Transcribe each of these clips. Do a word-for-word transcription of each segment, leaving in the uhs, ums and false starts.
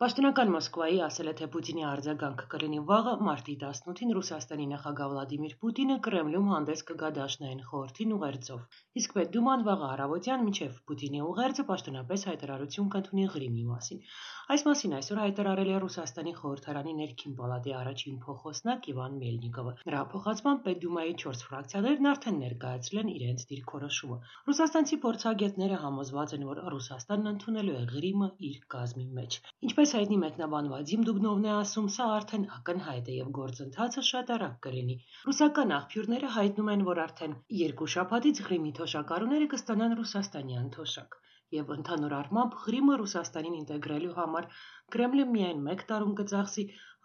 Պաշտոնական Մոսկվայի ասել է, թե Պուտինի արձագանքը կլինի վաղը մարտի տասնութին Ռուսաստանի նախագահ Վլադիմիր Պուտինը Կրեմլում հանդես կգա Դաշնային խորհրդին ուղերձով։ Իսկ Պետդուման վաղը առավոտյան մինչև Պուտինի ուղերձը պաշտոնապես հայտարարություն կընդունի Ղրիմի մասին։ Այս մասին այսօր հայտարարել է Ռուսաստանի խորհրդարանի ներքին պալատի առաջին փոխոսնակ Իվան Մելնիկովը։ Նրա փոխանցմամբ Պետդումայի չորս ֆրակցիաներն արդեն ներկայացրել են իրենց դիրքորոշումը։ Ռուսաստանցի փորձագետները համոզված են, որ Ռուսաստանն ընդունելու է Ղրիմը իր կազմի մեջ։ Ինչպես հայտնի մեկնաբան Վադիմ Դուբնովն է ասում, սա արդեն ակնհայտ է եւ գործընթացը շատ արագ կլինի։ Ռուսական աղբյուրները հայտնում են, որ արդեն երկու շաբաթից Ղրիմի թոշակառուները կստանան ռուսաստանյան թոշակ։ Եվ ընդհանուր առմամբ Ղրիմը Ռուսաստանին ինտեգրելու համար Կրեմլը միայն մեկ տարում կծախսի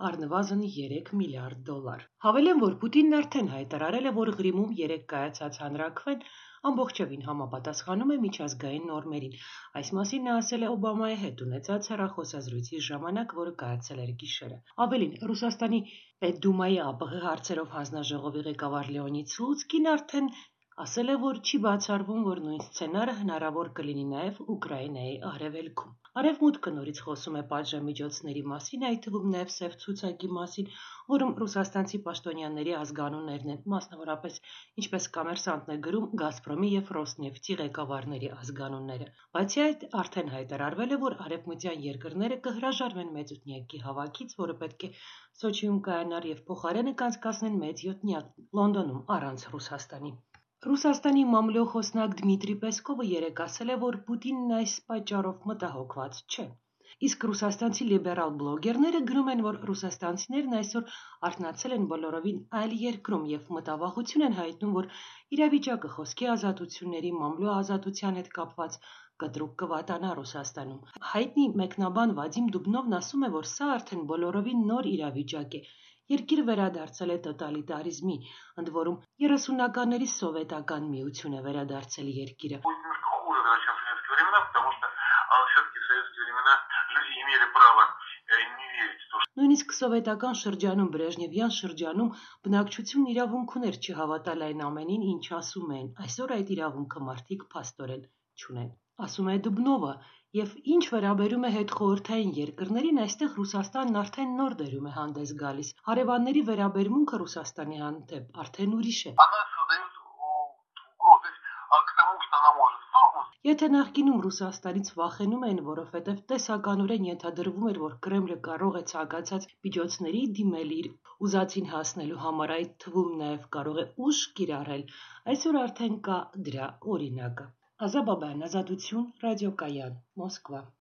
առնվազն երեք միլիարդ դոլար։ Հավելեմ, որ Պուտինն արդեն հայտարարել է, որ Ղրիմում երեք կայացած հանրաքվեն ամբողջովին համապատասխանում է միջազգային նորմերին։ Այս մասին նա ասել է Օբամայի հետ ունեցած հեռախոսազրույցի ժամանակ, որը կայացել էր գիշերը։ Ավելին, Ռուսաստանի Պետդումայի ԱՊՀ հարցերով հանձնաժողովի ղեկավար Լեոնիդ Սլուցկին արդեն ասել է, որ չի բացառվում, որ նույն սցենարը հնարավոր կլինի նաև Ուկրաինայի արևելքում։ Արևմուտքը նորից խոսում է պատժամիջոցների մասին, այդ թվում նաև սև ցուցակի մասին, որում ռուսաստանցի պաշտոնյաների ազգանուններն են, մասնավորապես, ինչպես Կոմերսանտն է գրում, Գազպրոմի եւ Ռոսնեֆտի ղեկավարների ազգանունները։ Բացի այդ, արդեն հայտարարվել է, որ արևմտյան երկրները կհրաժարվեն մեծուտնյակի հավաքից, որը պետք է Սոչիում կայանար եւ փոխարենը կանցկացնեն մեծ յոթնյակ Լոնդոնում առանց Ռուսաստանի։ Ռուսաստանի մամլո խոսնակ Դմիտրի Պեսկովը երեկ ասել է, որ Պուտինն այս պատճառով մտահոգված չէ։ Իսկ ռուսաստանցի լիբերալ բլոգերները գրում են, որ ռուսաստանցիներն այսօր արթնացել են բոլորովին այլ երկրում եւ մտավախություն են հայտնում, որ իրավիճակը խոսքի ազատությունների, մամլո ազատության հետ կապված կտրուկ կվատանա Ռուսաստանում։ Հայտնի մեկնաբան Վադիմ Դուբնովն ասում է, որ սա արդեն բոլորովին նոր իրավիճակ է։ Երկիրը վերադարձել է տոտալիտարիզմի, ընդ որում երեսունականների սովետական միություն է վերադարձել երկիրը։ Նույնիսկ սովետական շրջանում, Բրեժնևյան շրջանում բնակչությունն իրավունք ուներ չհավատալ այն ամենին, ինչ ասում են։ Այսօր այդ իրավունքը մարդիկ փաստորեն չունեն, ասում է Դուբնովը, եւ ինչ վերաբերում է հետխորհրդային երկրներին, այստեղ Ռուսաստանն արդեն նոր դերում է հանդես գալիս։ Հարևանների վերաբերմունքը Ռուսաստանի հանդեպ արդեն ուրիշ է։ Եթե նախկինում Ռուսաստանից վախենում էին, որովհետև տեսականորեն ենթադրվում էր, որ Կրեմլը կարող է ցանկացած միջոցների դիմել իր ուզածին հասնելու համար, այդ թվում նաև կարող է ուժ կիրառել, այսօր արդեն կա դրա օրինակը։ Ազա Բաբայան, Ազատություն, Ռադիոկայան, Մոսկվա։